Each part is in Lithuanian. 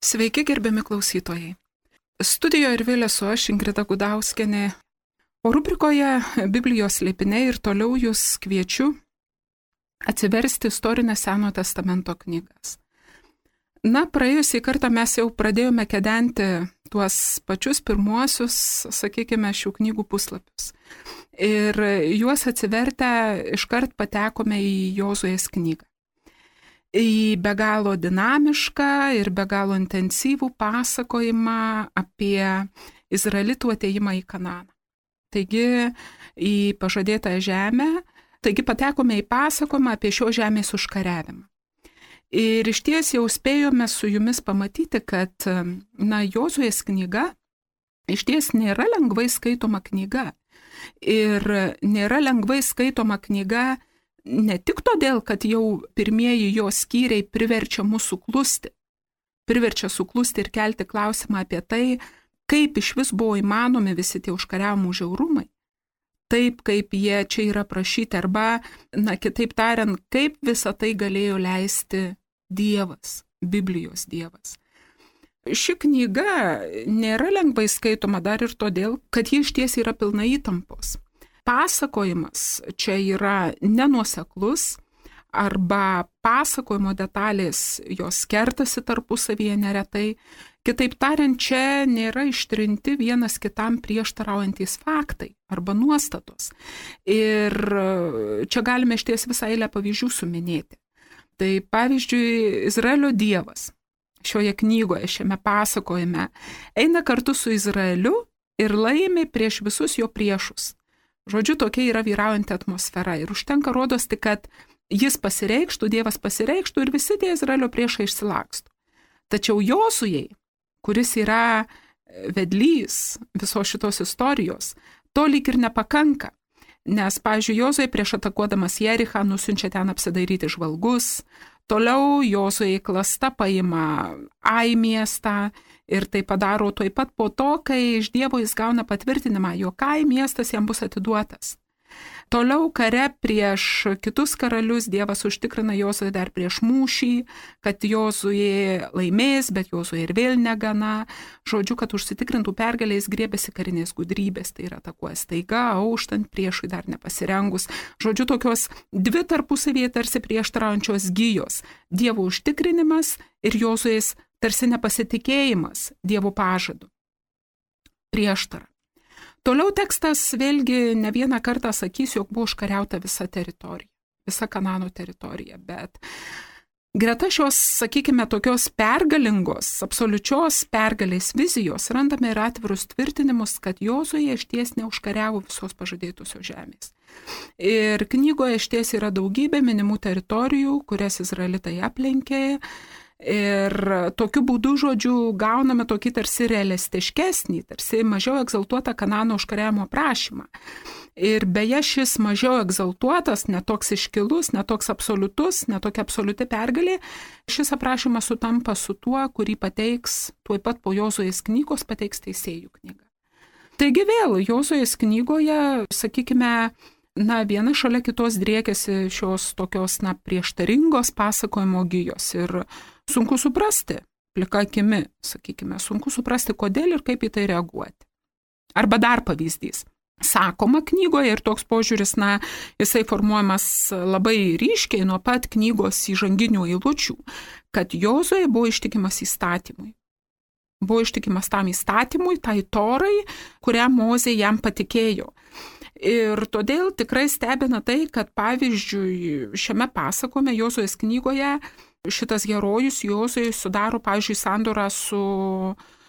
Sveiki, gerbiami klausytojai. Studijoje ir vėl esu aš, Ingrida Gudauskienė. O rubrikoje Biblijos slėpiniai ir toliau jūs kviečiu atsiversti istorinės Senojo testamento knygas. Praėjusį kartą mes jau pradėjome kedenti tuos pačius pirmuosius, sakykime, šių knygų puslapius. Ir juos atsivertę iškart patekome į Jozuės knygą. Į be galo dinamišką ir be galo intensyvų pasakojimą apie izraelitų atėjimą į Kananą. Taigi į pažadėtą žemę, taigi patekome į pasakojimą apie šio žemės užkariavimą. Ir išties jau spėjome su jumis pamatyti, kad Jozuės knyga išties nėra lengvai skaitoma knyga. Ir nėra lengvai skaitoma knyga ne tik todėl, kad jau pirmieji jo skyriai priverčia mūsų suklusti. Priverčia suklusti ir kelti klausimą apie tai, kaip iš vis buvo įmanomi visi tie užkariavimų žiaurumai. Taip, kaip jie čia yra prašyti, arba, kitaip tariant, kaip visą tai galėjo leisti Dievas, Biblijos Dievas. Ši knyga nėra lengvai skaitoma dar ir todėl, kad ji išties yra pilna įtampos. Pasakojimas čia yra nenuoseklus arba pasakojimo detalės jos kertasi tarpusavyje neretai. Kitaip tariant, čia nėra ištrinti vienas kitam prieštaraujantis faktai arba nuostatos. Ir čia galime išties visą eilę pavyzdžių suminėti. Tai pavyzdžiui, Izraelio Dievas šioje knygoje, šiame pasakojime, eina kartu su Izraeliu ir laimi prieš visus jo priešus. Žodžiu, tokia yra vyraujanti atmosfera ir užtenka rodos tik, kad jis pasireikštų, Dievas pasireikštų ir visi tie Izraelio priešai išsilaksto. Tačiau Jozujai, kuris yra vedlys visos šitos istorijos, to lyg ir nepakanka. Nes, pavyzdžiui, Jozuė prieš atakuodamas Jerichą nusiunčia ten apsidairyti žvalgus, toliau Jozuė klasta paima Ai miestą ir tai padaro tuoj pat po to, kai iš Dievo jis gauna patvirtinimą, jog Ai miestas jam bus atiduotas. Toliau kare prieš kitus karalius Dievas užtikrina Jozuė dar prieš mūšį, kad Jozuė laimės, bet Jozuė ir vėl negana. Žodžiu, kad užsitikrintų pergalę jis griebėsi karinės gudrybės, tai yra atakuoja staiga, auštant priešui dar nepasirengus. Žodžiu, tokios dvi tarpusavyje tarsi prieštaraujančios gijos. Dievo užtikrinimas ir Jozuės tarsi nepasitikėjimas Dievo pažadu. Prieštara. Toliau tekstas vėlgi ne vieną kartą sakys, jog buvo užkariauta visa teritorija, visa Kanano teritorija, bet greta šios, sakykime, tokios pergalingos, absoliučios pergalės vizijos randame ir atvirus tvirtinimus, kad Jozuė išties neužkariavo visos pažadėtusios žemės. Ir knygoje išties yra daugybė minimų teritorijų, kurias izraelitai aplenkė. Ir tokiu būdu, žodžiu, gauname tokį tarsi realistiškesnį, tarsi mažiau egzaltuotą Kanano užkariavimo prašymą. Ir beje, šis mažiau egzaltuotas, netoks iškilus, netoks absoliutus, netokia absoliuti pergalė, šis aprašymas sutampa su tuo, kurį pateiks tuoj pat po Jozuės knygos pateiks Teisėjų knyga. Taigi vėl Jozuės knygoje, sakykime, viena šalia kitos driekiasi šios tokios, prieštaringos pasakojimo gijos ir sunku suprasti, plika akimi, sakykime, sunku suprasti, kodėl ir kaip į tai reaguoti. Arba dar pavyzdys. Sakoma knygoje ir toks požiūris, jisai formuojamas labai ryškiai nuo pat knygos įžanginių eilučių, kad Jozuė buvo ištikimas įstatymui. Buvo ištikimas tam įstatymui, tai torai, kurią Mozė jam patikėjo. Ir todėl tikrai stebina tai, kad pavyzdžiui šiame pasakojime Jozuės knygoje šitas herojus Jozuė sudaro, pavyzdžiui, sandorą su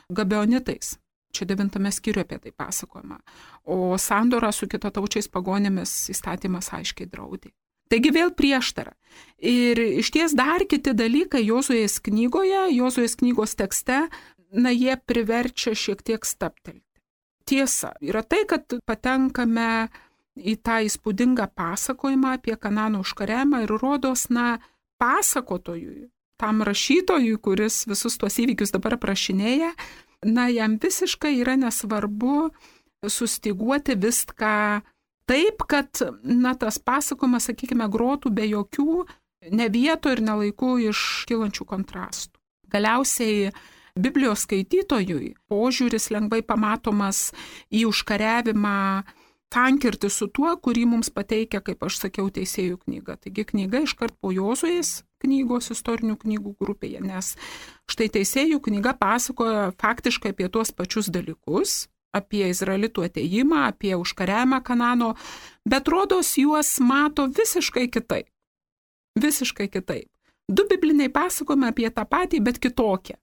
Gabeonitais. Čia 9 skyriuje apie tai pasakojama. O sandorą su kitataučiais pagonėmis įstatymas aiškiai draudė. Taigi vėl prieštara. Ir išties dar kiti dalykai Jozuės knygoje, Jozuės knygos tekste, jie priverčia šiek tiek stabtelti. Tiesa, yra tai, kad patenkame į tą įspūdingą pasakojimą apie Kanano užkariavimą ir rodos, pasakotojui, tam rašytojui, kuris visus tuos įvykius dabar aprašinėja, jam visiškai yra nesvarbu sustiguoti viską taip, kad, tas pasakojimas, sakykime, grotų be jokių ne vieto ir ne laikų iškylančių kontrastų. Galiausiai Biblijos skaitytojui požiūris lengvai pamatomas į užkariavimą tankirti su tuo, kurį mums pateikia, kaip aš sakiau, Teisėjų knyga. Taigi knyga iškart po Jozuės knygos istorinių knygų grupėje, nes štai Teisėjų knyga pasakoja faktiškai apie tuos pačius dalykus, apie izraelitų atėjimą, apie užkariavimą Kanano, bet rodos juos mato visiškai kitaip. Visiškai kitaip. Du bibliniai pasakojimai apie tą patį, bet kitokie.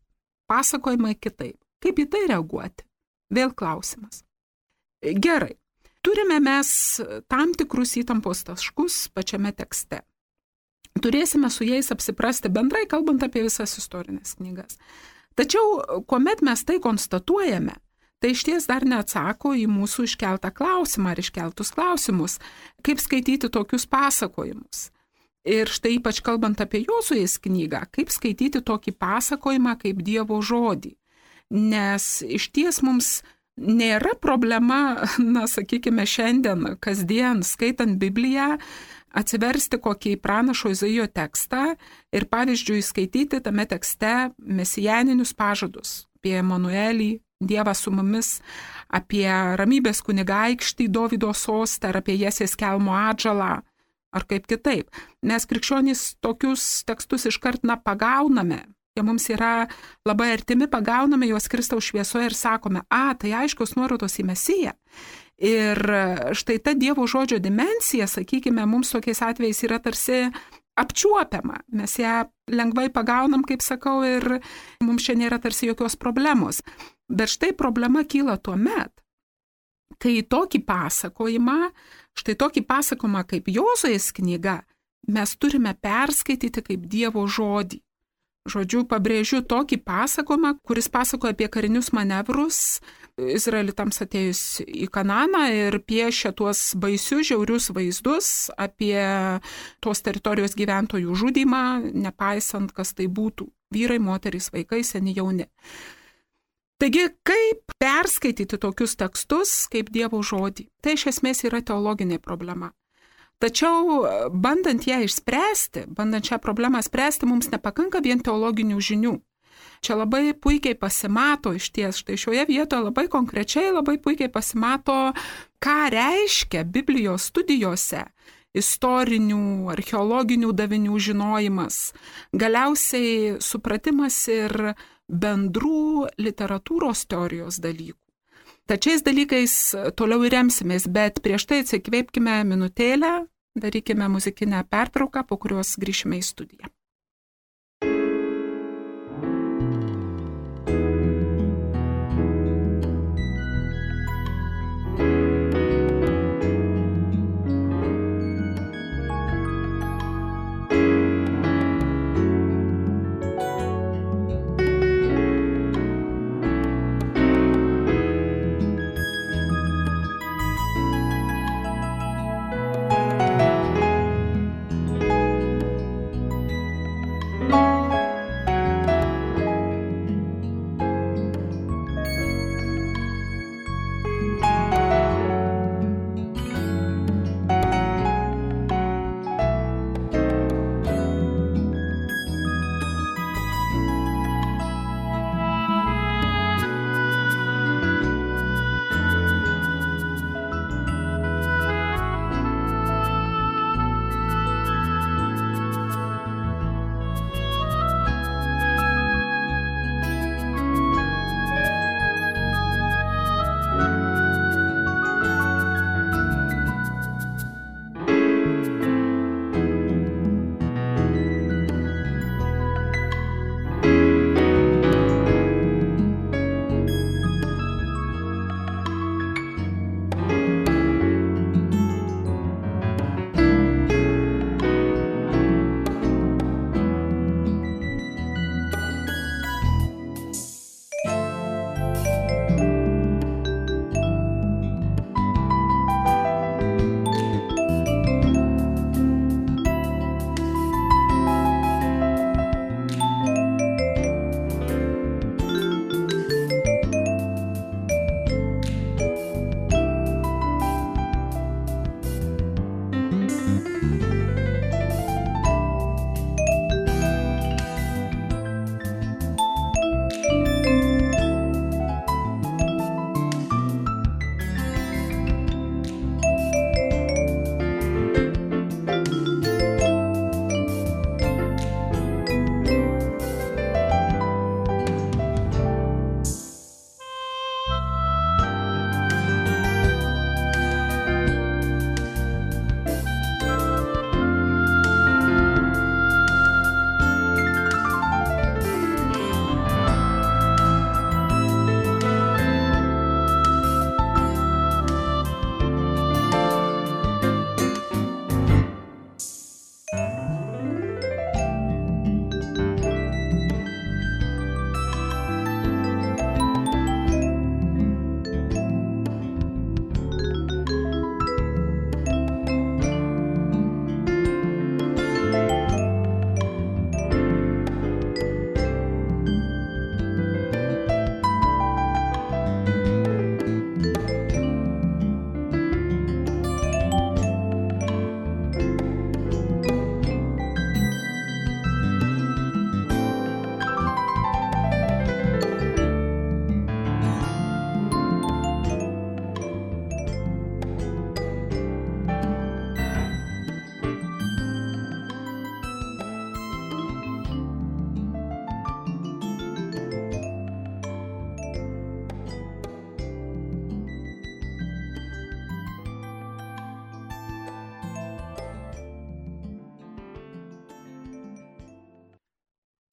Pasakojimai kitaip. Kaip į tai reaguoti? Vėl klausimas. Gerai. Turime mes tam tikrus įtampos taškus pačiame tekste. Turėsime su jais apsiprasti bendrai, kalbant apie visas istorinės knygas. Tačiau, kuomet mes tai konstatuojame, tai išties dar neatsako į mūsų iškeltą klausimą ar iškeltus klausimus, kaip skaityti tokius pasakojimus. Ir štai ypač kalbant apie Jozuės knygą, kaip skaityti tokį pasakojimą kaip Dievo žodį. Nes išties mums nėra problema, sakykime, šiandien, kasdien, skaitant Bibliją, atsiversti kokį pranašo Izaijo tekstą ir, pavyzdžiui, skaityti tame tekste mesijaninius pažadus apie Emanuelį, Dievą su mumis, apie ramybės kunigaikštį Dovydo sostą ar apie Jesės kelmo atžalą, ar kaip kitaip. Mes krikščionys tokius tekstus iškart pagauname. Jie mums yra labai artimi, pagauname juos Kristaus šviesoje ir sakome, tai aiškios nuorodos į Mesiją. Ir štai ta Dievo žodžio dimensija, sakykime, mums tokiais atvejais yra tarsi apčiuopiama. Mes ją lengvai pagaunam, kaip sakau, ir mums čia nėra tarsi jokios problemos. Bet štai problema kyla tuomet, kai tokį pasakojimą, štai tokį pasakojimą kaip Jozuės knyga, mes turime perskaityti kaip Dievo žodį. Žodžiu, pabrėžiu tokį pasakojimą, kuris pasakoja apie karinius manevrus izraelitams atėjus į Kananą ir piešia tuos baisius, žiaurius vaizdus apie tos teritorijos gyventojų žudymą, nepaisant, kas tai būtų - vyrai, moterys, vaikai, seni, jauni. Taigi, kaip perskaityti tokius tekstus kaip Dievo žodį? Tai iš esmės yra teologinė problema. Tačiau, bandant ją išspręsti, bandant šią problemą spręsti, mums nepakanka vien teologinių žinių. Čia labai puikiai pasimato išties, štai šioje vietoje labai konkrečiai, labai puikiai pasimato, ką reiškia Biblijos studijose istorinių, archeologinių davinių žinojimas, galiausiai supratimas ir bendrų literatūros teorijos dalykų. Tačiais dalykais toliau ir remsimės, bet prieš tai atsikvėpkime minutėlę, darykime muzikinę pertrauką, po kurios grįšime į studiją.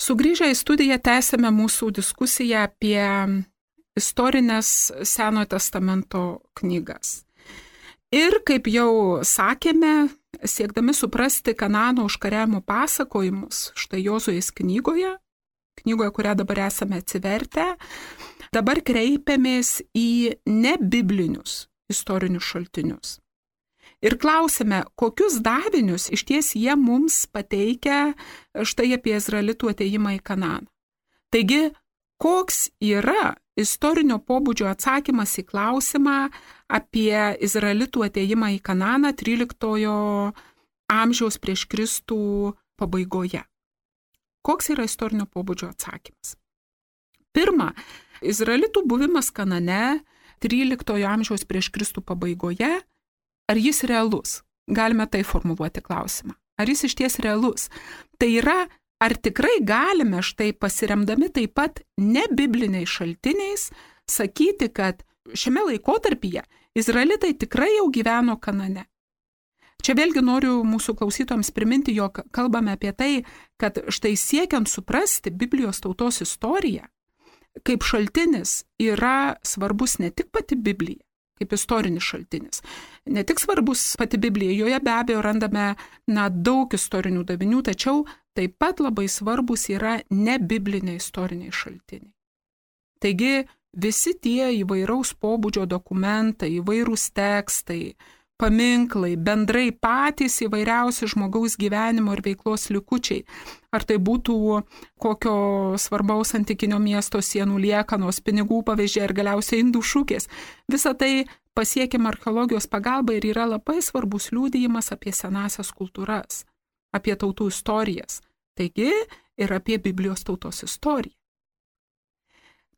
Sugrįžę į studiją tęsėme mūsų diskusiją apie istorinės Senojo testamento knygas. Ir kaip jau sakėme, siekdami suprasti Kanano užkariavimo pasakojimus, štai Jozuės knygoje, kurią dabar esame atsivertę, dabar kreipiamės į nebiblinius istorinius šaltinius. Ir klausime, kokius davinius iš ties jie mums pateikia štai apie izraelitų atėjimą į Kananą. Taigi, koks yra istorinio pobūdžio atsakymas į klausimą apie izraelitų atėjimą į Kananą 13 amžiaus prieš Kristų pabaigoje? Koks yra istorinio pobūdžio atsakymas? Pirma, izraelitų buvimas Kanane 13 amžiaus prieš Kristų pabaigoje, ar jis realus? Galime tai formuluoti klausimą. Ar jis iš ties realus? Tai yra, ar tikrai galime štai pasiremdami taip pat nebibliniais šaltiniais sakyti, kad šiame laikotarpyje izraelitai tikrai jau gyveno Kanane? Čia vėlgi noriu mūsų klausytojams priminti, jog kalbame apie tai, kad štai siekiant suprasti Biblijos tautos istoriją, kaip šaltinis yra svarbus ne tik pati Biblija, kaip istorinis šaltinis. Ne tik svarbus pati Biblija, joje be abejo randame daug istorinių davinių, tačiau taip pat labai svarbus yra nebibliniai istoriniai šaltiniai. Taigi visi tie įvairaus pobūdžio dokumentai, įvairūs tekstai, paminklai, bendrai patys įvairiausi žmogaus gyvenimo ir veiklos likučiai, ar tai būtų kokio svarbaus antikinio miesto sienų liekanos, pinigų pavyzdžiai ir galiausiai indų šukės. Visa tai pasiekiama archeologijos pagalba ir yra labai svarbus liudijimas apie senąsias kultūras, apie tautų istorijas, taigi ir apie Biblijos tautos istoriją.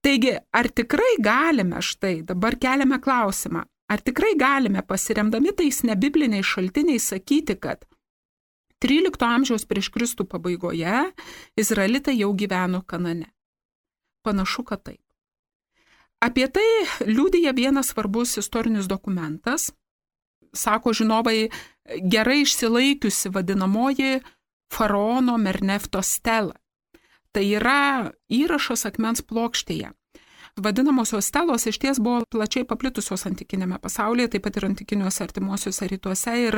Taigi, ar tikrai galime štai, dabar keliame klausimą, ar tikrai galime pasiremdami tais nebibliniais šaltiniais sakyti, kad 13 amžiaus prieš Kristų pabaigoje izraelitai jau gyveno Kanane? Panašu, kad taip. Apie tai liudija vienas svarbus istorinis dokumentas, sako žinovai, gerai išsilaikiusi vadinamoji faraono Mernefto stela. Tai yra įrašas akmens plokštėje. Vadinamosios stelos iš ties buvo plačiai paplitusios antikinėme pasaulyje, taip pat ir antikiniuose artimuosiuose rytuose. Ir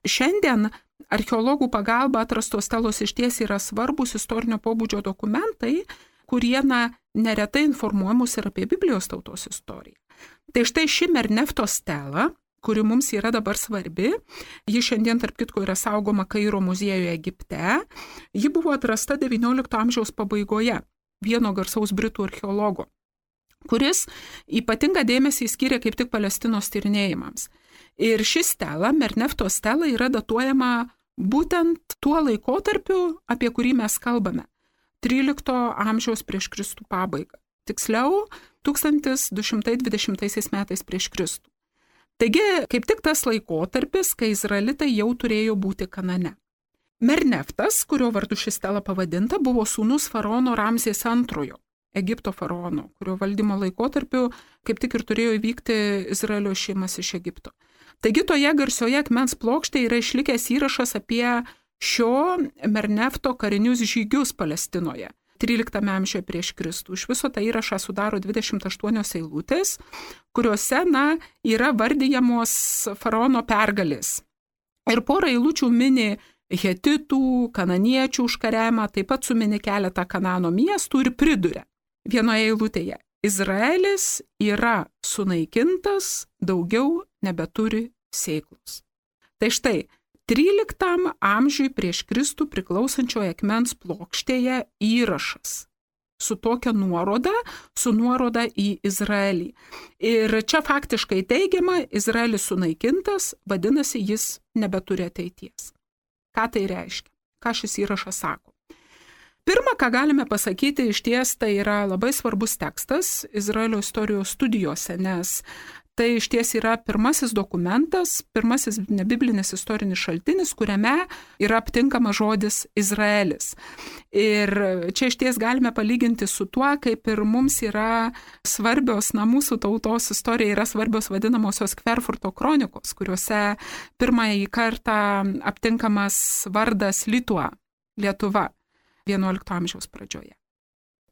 šiandien archeologų pagalba atrastos stelos iš ties yra svarbus istorinio pobūdžio dokumentai, kurie neretai informuoja mus ir apie Biblijos tautos istoriją. Tai štai ši Mernefto stela, kuri mums yra dabar svarbi, ji šiandien tarp kitko yra saugoma Kairo muziejuje Egipte, ji buvo atrasta XIX amžiaus pabaigoje vieno garsaus britų archeologo, kuris ypatingą dėmesį skyrė kaip tik Palestinos tyrinėjimams. Ir ši stela, Mernefto stela, yra datuojama būtent tuo laikotarpiu, apie kurį mes kalbame, 13 amžiaus prieš Kristų pabaigą. Tiksliau, 1220 metais prieš Kristų. Taigi, kaip tik tas laikotarpis, kai izraelitai jau turėjo būti Kanane. Merneftas, kurio vardu ši stela pavadinta, buvo sūnus faraono Ramzės II, Egipto faraono, kurio valdymo laikotarpiu kaip tik ir turėjo įvykti Izraelio išėjimas iš Egipto. Taigi toje garsioje akmens plokštėje yra išlikęs įrašas apie šio Mernefto karinius žygius Palestinoje 13 amžiuje prieš Kristų. Iš viso tą įrašą sudaro 28 eilutės, kuriuose yra vardijamos faraono pergalės. Ir porą eilučių mini hetitų, kananiečių užkariavimą, taip pat sumini keletą Kanano miestų ir priduria vienoje eilutėje: Izraelis yra sunaikintas, daugiau nebeturi sėklos. Tai štai, 13 amžiui prieš Kristų priklausančioje akmens plokštėje įrašas su tokia nuoroda, su nuoroda į Izraelį. Ir čia faktiškai teigiama, Izraelis sunaikintas, vadinasi, jis nebeturi ateities. Ką tai reiškia? Ką šis įrašas sako? Pirma, ką galime pasakyti, iš ties tai yra labai svarbus tekstas Izraelio istorijos studijose, nes tai iš ties yra pirmasis dokumentas, pirmasis nebiblinis istorinis šaltinis, kuriame yra aptinkamas žodis Izraelis. Ir čia iš ties galime palyginti su tuo, kaip ir mums yra svarbios, mūsų tautos istorija yra svarbios vadinamosios Kverfurto kronikos, kuriuose pirmąjį kartą aptinkamas vardas Lietuva. XI amžiaus pradžioje.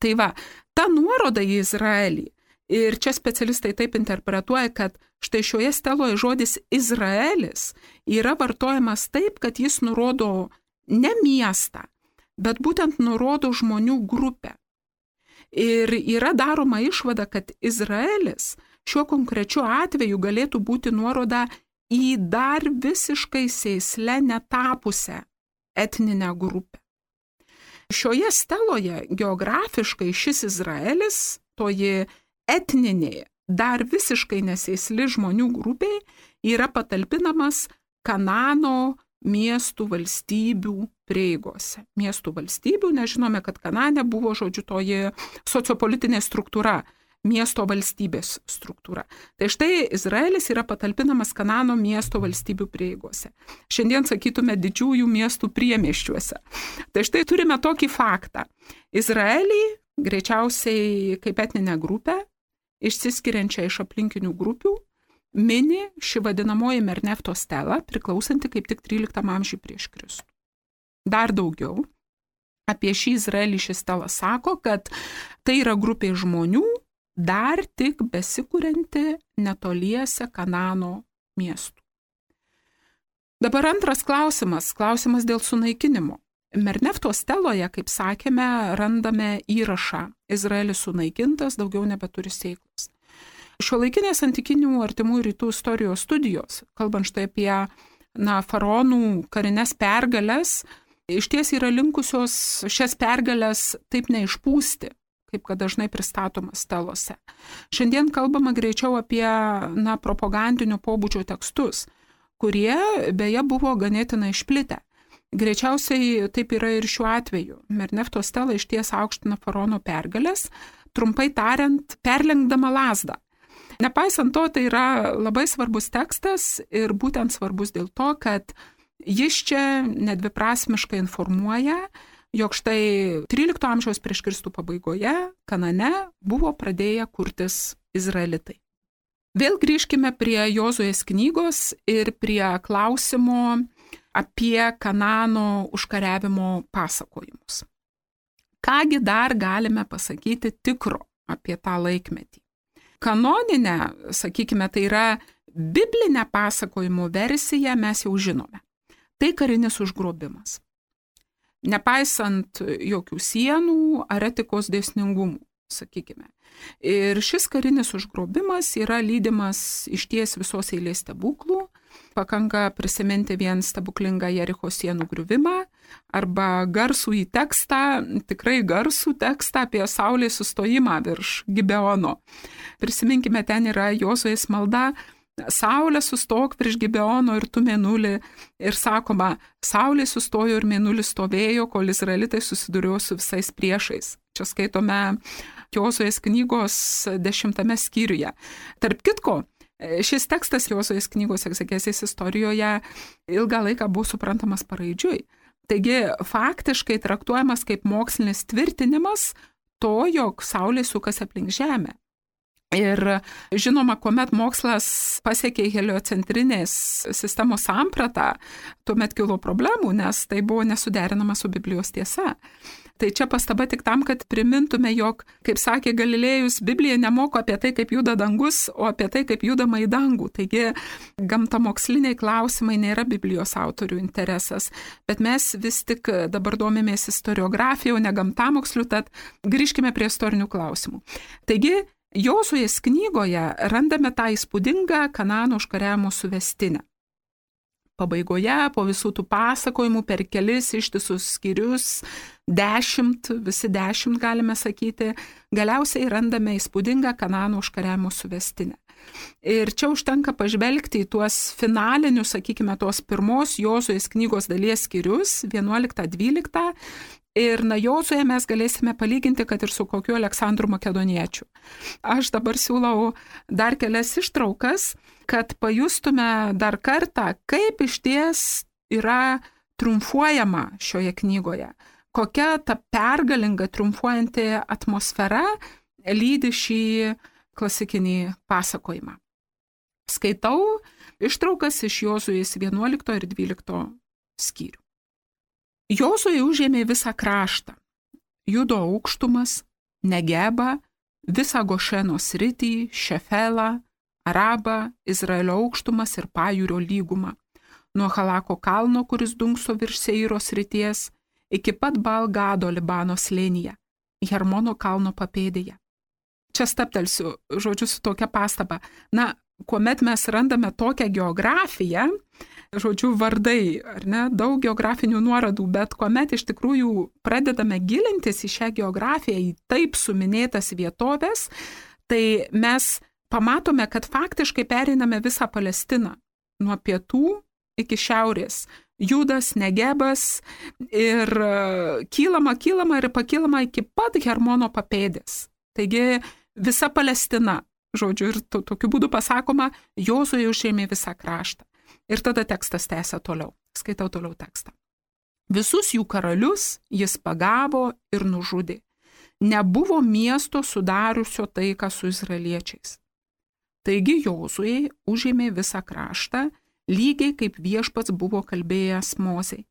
Tai va, ta nuoroda į Izraelį, ir čia specialistai taip interpretuoja, kad štai šioje steloje žodis Izraelis yra vartojamas taip, kad jis nurodo ne miestą, bet būtent nurodo žmonių grupę. Ir yra daroma išvada, kad Izraelis šiuo konkrečiu atveju galėtų būti nuoroda į dar visiškai sėsle netapusią etninę grupę. Šioje steloje geografiškai šis Izraelis, toji etninė, dar visiškai nesėsli žmonių grupė, yra patalpinamas Kanano miestų valstybių prieigose. Miestų valstybių, nežinome, kad Kanane buvo, žodžiu, toji sociopolitinė struktūra, miesto valstybės struktūra. Tai štai Izraelis yra patalpinamas Kanano miesto valstybių prieigose. Šiandien sakytume didžiųjų miestų priemiesčiuose. Tai štai turime tokį faktą. Izraelį greičiausiai kaip etninę grupę, išsiskiriančią iš aplinkinių grupių, mini ši vadinamoji Mernefto stela, priklausanti kaip tik 13 amžiui prieš Kristų. Dar daugiau apie šį Izraelį ši stela sako, kad tai yra grupė žmonių, dar tik besikurianti netoliese Kanano miestų. Dabar antras klausimas dėl sunaikinimo. Mernefto steloje, kaip sakėme, randame įrašą Izraelis sunaikintas, daugiau nebeturi sėklos. Šiuolaikinės antikinių artimų rytų istorijos studijos, kalbant štai apie faraonų karinės pergalės, iš ties yra linkusios šias pergalės taip neišpūsti, kaip kad dažnai pristatoma stelose. Šiandien kalbama greičiau apie propagandinio pobūdžio tekstus, kurie beje buvo ganėtinai išplitę. Greičiausiai taip yra ir šiuo atveju. Mernefto stela iš ties aukština faraono pergalės, trumpai tariant, perlenkdama lazdą. Nepaisant to, tai yra labai svarbus tekstas ir būtent svarbus dėl to, kad jis čia nedviprasmiškai informuoja, jog štai 13 amžiaus prieš Kristų pabaigoje Kanane buvo pradėję kurtis izraelitai. Vėl grįžkime prie Jozuės knygos ir prie klausimo apie Kanano užkariavimo pasakojimus. Kągi dar galime pasakyti tikro apie tą laikmetį? Kanoninę, sakykime, tai yra biblinę pasakojimo versiją mes jau žinome. Tai karinis užgrobimas. Nepaisant jokių sienų ar etikos dėsningumų, sakykime. Ir šis karinis užgrobimas yra lydimas išties visos eilės stebuklų. Pakanka prisiminti vien stebuklingą Jericho sienų griuvimą arba garsų į tekstą, tikrai garsų tekstą apie saulės sustojimą virš Gibeono. Prisiminkime, ten yra Jozuės malda: Saulė sustok virš Gibeono ir tu mėnulį. Ir sakoma, saulė sustojo ir mėnulis stovėjo, kol izraelitai susidūrėjo su visais priešais. Čia skaitome Jozuės knygos 10 skyriuje. Tarp kitko, šis tekstas Jozuės knygos egzegezės istorijoje ilgą laiką buvo suprantamas paraidžiui. Taigi faktiškai traktuojamas kaip mokslinis tvirtinimas to, jog saulė sukasi aplink žemę. Ir žinoma, kuomet mokslas pasiekė heliocentrinės sistemos sampratą, tuomet kilo problemų, nes tai buvo nesuderinama su Biblijos tiesa. Tai čia pastaba tik tam, kad primintume, jog, kaip sakė Galilėjus, Biblija nemoko apie tai, kaip juda dangus, o apie tai, kaip judama į dangų. Taigi gamtamoksliniai klausimai nėra Biblijos autorių interesas, bet mes vis tik dabar domimės istoriografija, o ne gamtamoksliu, tad grįžkime prie istorinių klausimų. Taigi, Jozuės knygoje randame tą įspūdingą Kanano užkariavimo suvestinę. Pabaigoje, po visų tų pasakojimų, per kelis ištisus skyrius, 10, visi 10 galime sakyti, galiausiai randame įspūdingą Kanano užkariavimo suvestinę. Ir čia užtenka pažvelgti į tuos finalinius, sakykime, tos pirmos Jozuės knygos dalies skyrius, 11-12, ir Jozuėje mes galėsime palyginti, kad ir su kokiu Aleksandru Makedoniečiu. Aš dabar siūlau dar kelias ištraukas, kad pajustume dar kartą, kaip išties yra triumfuojama šioje knygoje. Kokia ta pergalinga triumfuojanti atmosfera lydi šį klasikinį pasakojimą. Skaitau ištraukas iš Jozuės 11 ir 12 skyrių. Jozuė užėmė visą kraštą, Judo aukštumas, Negebą, visą Gošeno sritį, Šefelą, Arabą, Izraelio aukštumas ir Pajūrio lygumą. Nuo Halako kalno, kuris dunkso virš Seiro srities, iki pat Baal-Gado Libano slėnyje, Hermono kalno papėdėje. Čia stabtelsiu, žodžiu, su tokia pastaba. Na, kuomet mes randame tokią geografiją, žodžiu, vardai, ar ne, daug geografinių nuorodų, bet kuomet iš tikrųjų pradedame gilintis į šią geografiją, į taip suminėtas vietovės, tai mes pamatome, kad faktiškai pereiname visą Palestiną nuo pietų iki šiaurės. Judas, Negebas ir kylama ir pakylama iki pat Hermono papėdės. Taigi visa Palestina, žodžiu, ir tokiu būdu pasakoma, Jozuė užėmė visą kraštą. Ir tada tekstas tęsia toliau. Skaitau toliau tekstą. Visus jų karalius jis pagavo ir nužudė. Nebuvo miesto sudariusio taiką su izraeliečiais. Taigi Jozuė užėmė visą kraštą, lygiai kaip viešpats buvo kalbėjęs Mozei.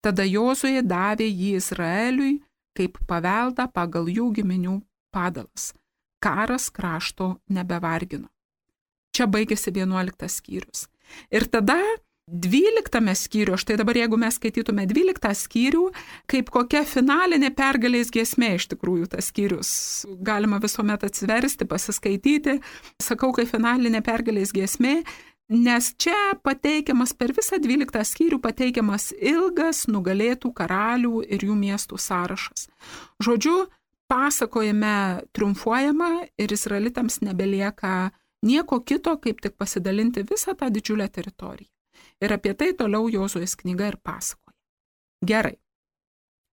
Tada Jozuė davė jį Izraeliui kaip paveldą pagal jų giminių padalas. Karas krašto nebevargino. Čia baigėsi 11 skyrius. Ir tada 12 skyrių, štai dabar jeigu mes skaitytume 12 skyrių, kaip kokia finalinė pergalės giesmė iš tikrųjų tas skyrius. Galima visuomet atsiversti, pasiskaityti, sakau, kaip finalinė pergalės giesmė, nes čia pateikiamas per visą 12 skyrių pateikiamas ilgas nugalėtų karalių ir jų miestų sąrašas. Žodžiu, pasakojime triumfuojama ir izraelitams nebelieka nieko kito, kaip tik pasidalinti visą tą didžiulę teritoriją. Ir apie tai toliau Jozuės knyga ir pasakoja. Gerai.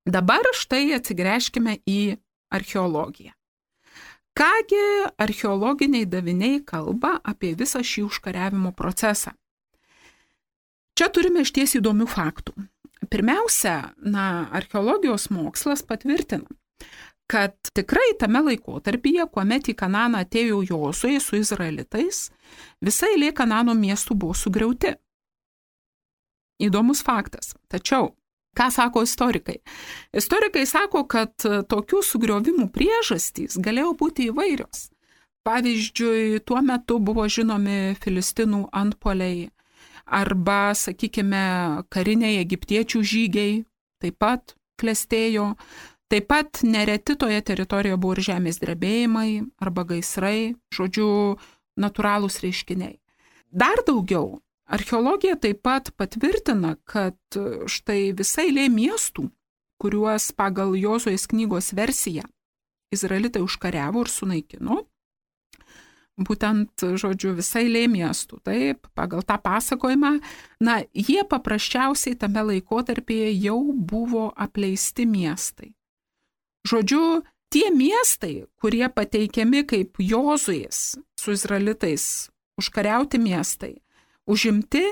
Dabar štai atsigręžkime į archeologiją. Kągi archeologiniai daviniai kalba apie visą šį užkariavimo procesą? Čia turime išties įdomių faktų. Pirmiausia, archeologijos mokslas patvirtina, kad tikrai tame laikotarpyje, kuomet į Kananą atėjo Jozuė su izraelitais, visa eilė Kanano miestų buvo sugriauti. Įdomus faktas. Tačiau, ką sako istorikai? Istorikai sako, kad tokių sugriovimų priežastys galėjo būti įvairios. Pavyzdžiui, tuo metu buvo žinomi Filistinų antpuoliai arba, sakykime, kariniai egiptiečių žygiai taip pat klestėjo. Taip pat nereti toje teritorijoje buvo ir žemės drebėjimai arba gaisrai, žodžiu, natūralūs reiškiniai. Dar daugiau, archeologija taip pat patvirtina, kad štai visa eilė miestų, kuriuos pagal Jozuės knygos versiją izraelitai užkariavo ir sunaikino, būtent, žodžiu, visa eilė miestų, taip, pagal tą pasakojimą, jie paprasčiausiai tame laikotarpyje jau buvo apleisti miestai. Žodžiu, tie miestai, kurie pateikiami kaip Jozuės su izraelitais užkariauti miestai, užimti,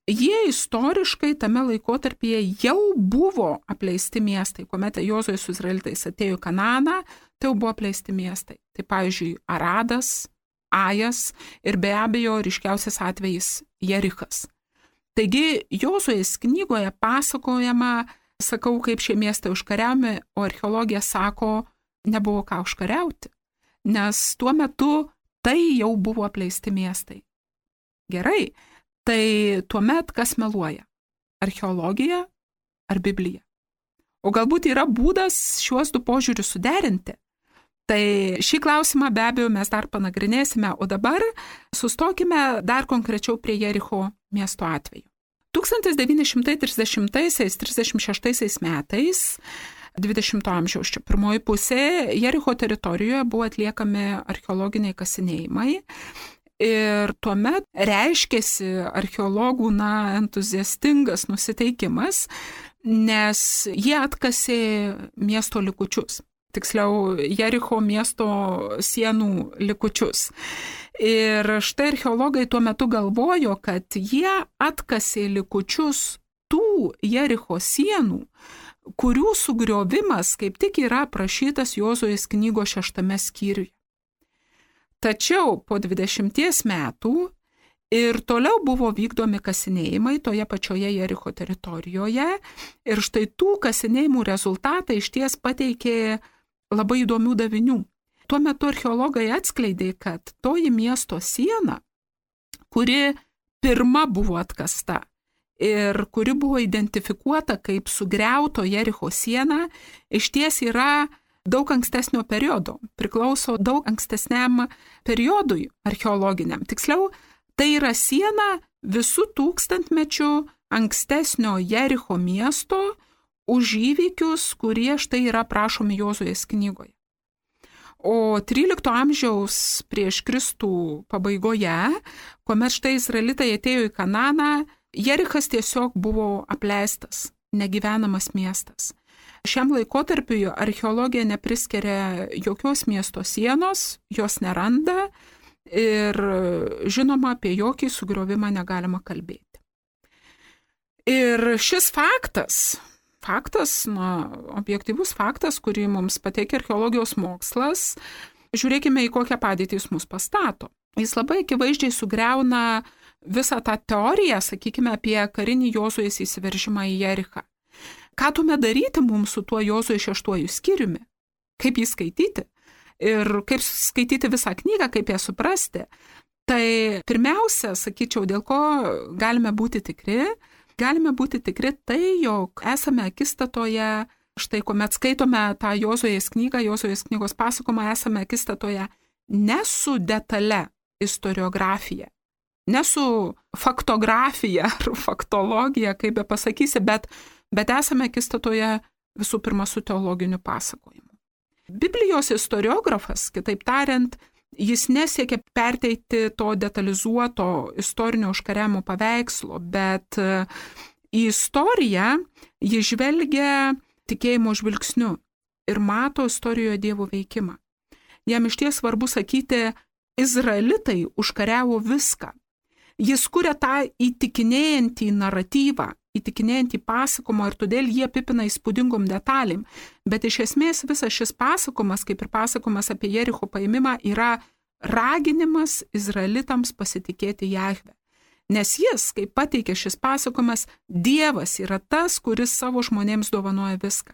jie istoriškai tame laikotarpyje jau buvo apleisti miestai. Kuomet Jozuė su izraelitais atėjo į Kananą, tai jau buvo apleisti miestai. Tai pavyzdžiui, Aradas, Ajas ir be abejo ryškiausias atvejis Jerichas. Taigi, Jozuės knygoje pasakojama, sakau, kaip šie miestai užkariami, o archeologija sako, nebuvo ką užkariauti, nes tuo metu tai jau buvo apleisti miestai. Gerai, tai tuomet kas meluoja? Archeologija ar Biblija? O galbūt yra būdas šiuos du požiūrius suderinti? Tai šį klausimą be abejo mes dar panagrinėsime, o dabar sustokime dar konkrečiau prie Jericho miesto atveju. 1930–36 metais, 20 amžiaus čia pirmoji pusė, Jericho teritorijoje buvo atliekami archeologiniai kasinėjimai ir tuomet reiškėsi archeologų entuziastingas nusiteikimas, nes jie atkasė miesto likučius. Tiksliau, Jericho miesto sienų likučius. Ir štai archeologai tuo metu galvojo, kad jie atkasė likučius tų Jericho sienų, kurių sugriovimas kaip tik yra aprašytas Jozuės knygos 6 skyriuje. Tačiau po 20 metų Ir toliau buvo vykdomi kasinėjimai toje pačioje Jericho teritorijoje. Ir štai tų kasinėjimų rezultatai išties pateikė labai įdomių davinių. Tuo metu archeologai atskleidė, kad toji miesto siena, kuri pirma buvo atkasta ir kuri buvo identifikuota kaip sugriauto Jericho siena, išties yra daug ankstesnio periodo, priklauso daug ankstesniam periodui archeologiniam. Tiksliau, tai yra siena visų tūkstantmečių ankstesnio Jericho miesto už įvykius, kurie štai yra aprašomi Jozuės knygoje. O 13 amžiaus prieš Kristų pabaigoje, kuomet štai izraelitai atėjo į Kananą, Jerichas tiesiog buvo apleistas, negyvenamas miestas. Šiam laikotarpiui archeologija nepriskiria jokios miesto sienos, jos neranda ir žinoma, apie jokį sugriovimą negalima kalbėti. Ir šis faktas, objektyvus faktas, kurį mums pateikia archeologijos mokslas, žiūrėkime, į kokią padėtį jis mus pastato. Jis labai akivaizdžiai sugriauna visą tą teoriją, sakykime, apie karinį Jozuės įsiveržimą į Jerichą. Ką tuomet daryti mums su tuo Jozuės 6 skyriumi? Kaip jį skaityti? Ir kaip skaityti visą knygą, kaip ją suprasti? Tai pirmiausia, sakyčiau, dėl ko galime būti tikri? Galime būti tikri tai, jog esame akistatoje, štai kuomet skaitome tą Jozuės knygą, Jozuės knygos pasakojimą, esame akistatoje ne su detale istoriografija, ne su faktografija ar faktologija, kaip be pasakysi, bet esame akistatoje visų pirma su teologiniu pasakojimu. Biblijos istoriografas, kitaip tariant, jis nesiekia perteikti to detalizuoto istorinio užkariavimo paveikslo, bet į istoriją jis žvelgia tikėjimo žvilgsniu ir mato istorijoje Dievo veikimą. Jam išties svarbu sakyti, izraelitai užkariavo viską. Jis kuria tą įtikinėjantį naratyvą, įtikinėjantį pasakojimą ir todėl jie apipina įspūdingom detalėm. Bet iš esmės visas šis pasakojimas, kaip ir pasakojimas apie Jericho paėmimą, yra raginimas izraelitams pasitikėti Jahve. Nes jis, kaip pateikia šis pasakojimas, Dievas yra tas, kuris savo žmonėms dovanoja viską.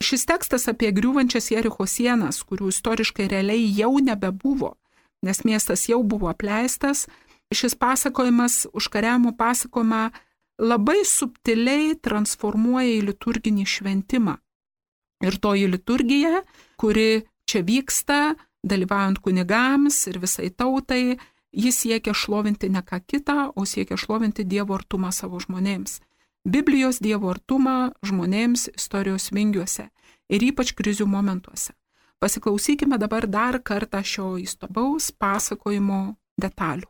Šis tekstas apie griūvančias Jericho sienas, kurių istoriškai realiai jau nebebuvo, nes miestas jau buvo apleistas, šis pasakojimas, užkariavimo pasakojimą, labai subtiliai transformuoja į liturginį šventimą. Ir toji liturgija, kuri čia vyksta, dalyvaujant kunigams ir visai tautai, jis siekia šlovinti ne ką kitą, o siekia šlovinti Dievo artumą savo žmonėms. Biblijos Dievo artumą žmonėms istorijos vingiuose ir ypač krizių momentuose. Pasiklausykime dabar dar kartą šio įstabaus pasakojimo detalių.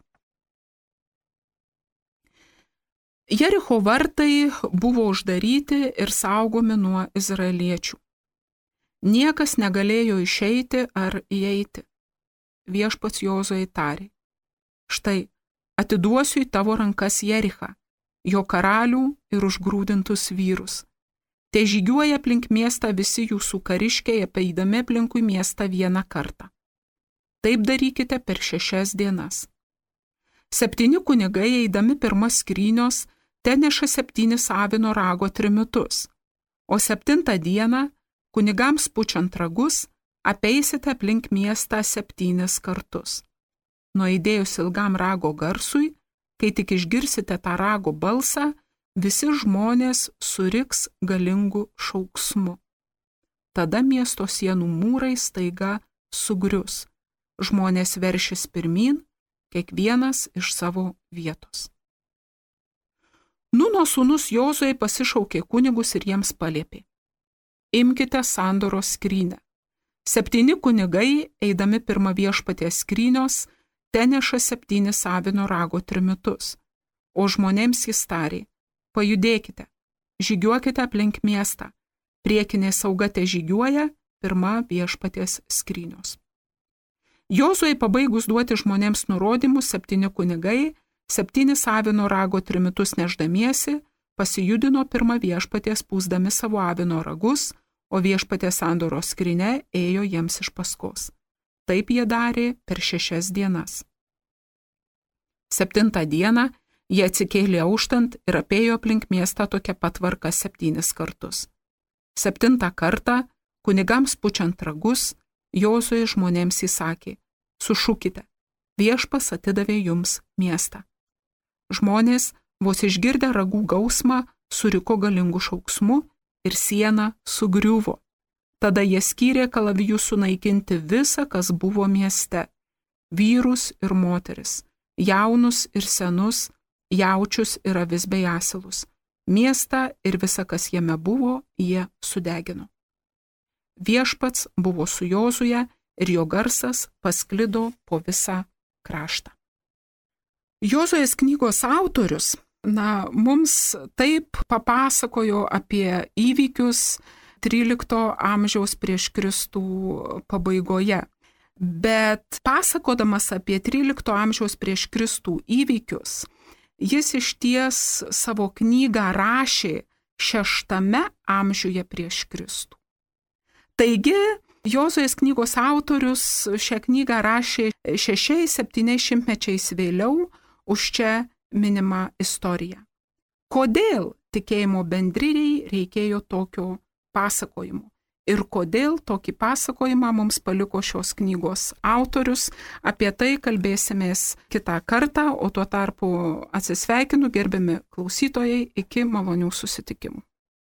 Jericho vartai buvo uždaryti ir saugomi nuo izraeliečių. Niekas negalėjo išeiti ar įeiti. Viešpats Jozuei tarė: štai, atiduosiu į tavo rankas Jerichą, jo karalių ir užgrūdintus vyrus. Te žygiuoja aplink miestą visi jūsų kariškiai, apeidami aplinkui miestą vieną kartą. Taip darykite per 6 dienas. 7 kunigai, eidami pirma skrynios, ten neša 7 avino rago trimitus, o 7 dieną, kunigams pučiant ragus, apeisite aplink miestą 7 kartus. Nuaidėjus ilgam rago garsui, kai tik išgirsite tą rago balsą, visi žmonės suriks galingų šauksmu. Tada miesto sienų mūrai staiga sugrius. Žmonės veršis pirmyn, kiekvienas iš savo vietos. Nuno sūnus Jozuė pasišaukė kunigus ir jiems paliepė: imkite sandoros skrynę. 7 kunigai, eidami pirma viešpaties skrynios, ten neša 7 avino rago trimitus, o žmonėms jis tarė: pajudėkite, žygiuokite aplink miestą, priekinė sauga te žygiuoja pirma viešpaties skrynios. Jozuei pabaigus duoti žmonėms nurodymus, 7 kunigai, 7 avino rago trimitus neždamiesi, pasijudino pirma viešpaties pūsdami savo avino ragus, o viešpaties sandoros skrynia ėjo jiems iš paskos. Taip jie darė per 6 dienas. 7 dieną jie atsikėlė auštant ir apėjo aplink miestą tokia pat tvarka 7 kartus. 7 kartą, kunigams pučiant ragus, Jozuė žmonėms įsakė: sušūkite, viešpas atidavė jums miestą. Žmonės, vos išgirdę ragų gausmą, suriko galingų šauksmų ir siena sugriuvo. Tada jie skyrė kalavijų sunaikinti visą, kas buvo mieste – vyrus ir moteris, jaunus ir senus, jaučius ir avis bei asilus. Miestą ir visa, kas jame buvo, jie sudegino. Viešpats buvo su Jozuje ir jo garsas pasklido po visą kraštą. Jozuės knygos autorius, mums taip papasakojo apie įvykius 13 amžiaus prieš Kristų pabaigoje. Bet pasakodamas apie 13 amžiaus prieš Kristų įvykius, jis išties savo knygą rašė 6 amžiuje prieš Kristų. Taigi, Jozuės knygos autorius šią knygą rašė 6-7 mečiais vėliau už čia minimą istoriją. Kodėl tikėjimo bendrijai reikėjo tokio pasakojimo? Ir kodėl tokį pasakojimą mums paliko šios knygos autorius? Apie tai kalbėsimės kitą kartą, o tuo tarpu atsisveikinu, gerbiami klausytojai, iki malonių susitikimų.